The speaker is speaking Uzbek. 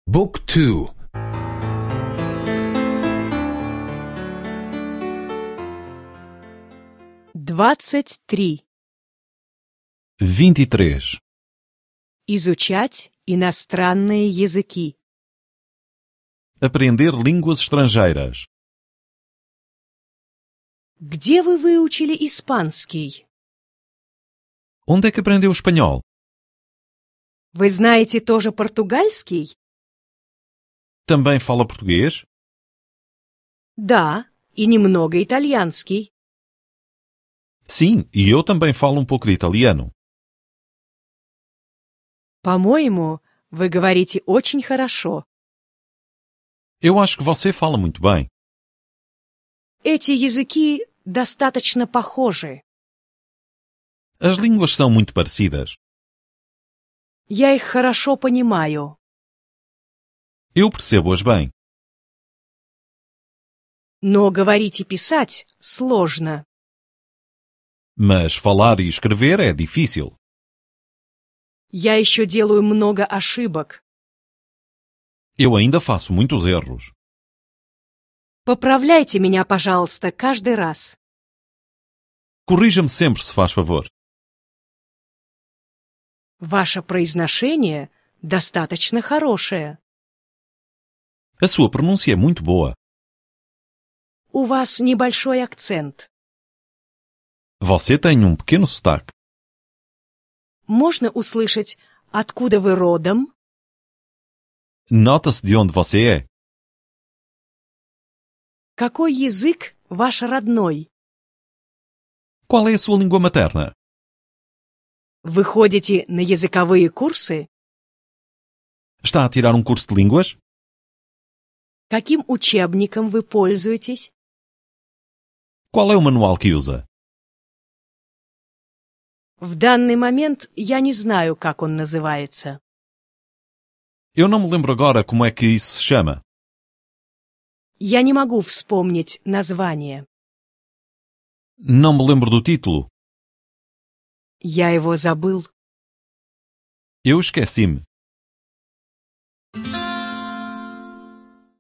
Book 2. 23. 23. Изучать иностранные языки. Aprender línguas estrangeiras. Где вы выучили испанский? Onde é que aprendeu espanhol? Вы знаете тоже португальский? Também fala português? Да, и немного итальянский. Sim, e eu também falo um pouco de italiano. По-моему, вы говорите очень хорошо. Eu acho que você fala muito bem. Эти языки достаточно похожи. As línguas são muito parecidas. Я их хорошо понимаю. Eu percebo-as bem. Но говорить и писать сложно. Mas falar e escrever é difícil. Я еще делаю много ошибок. Eu ainda faço muitos erros. Поправляйте меня, пожалуйста, каждый раз. Corrija-me sempre, se faz favor. Ваше произношение достаточно хорошее. A sua pronúncia é muito boa. У вас небольшой акцент. Você tem um pequeno sotaque. Можно услышать, откуда вы родом? Nota-se de onde você é. Какой язык ваш родной? Qual é a sua língua materna? Вы ходите на языковые курсы? Está a tirar um curso de línguas? Каким учебником вы пользуетесь? Qual é o manual que usa? В данный момент я не знаю, как он называется. Eu não me lembro agora como é que isso se chama. Я не могу вспомнить название. Não me lembro do título. Я его забыл. Eu esqueci-me.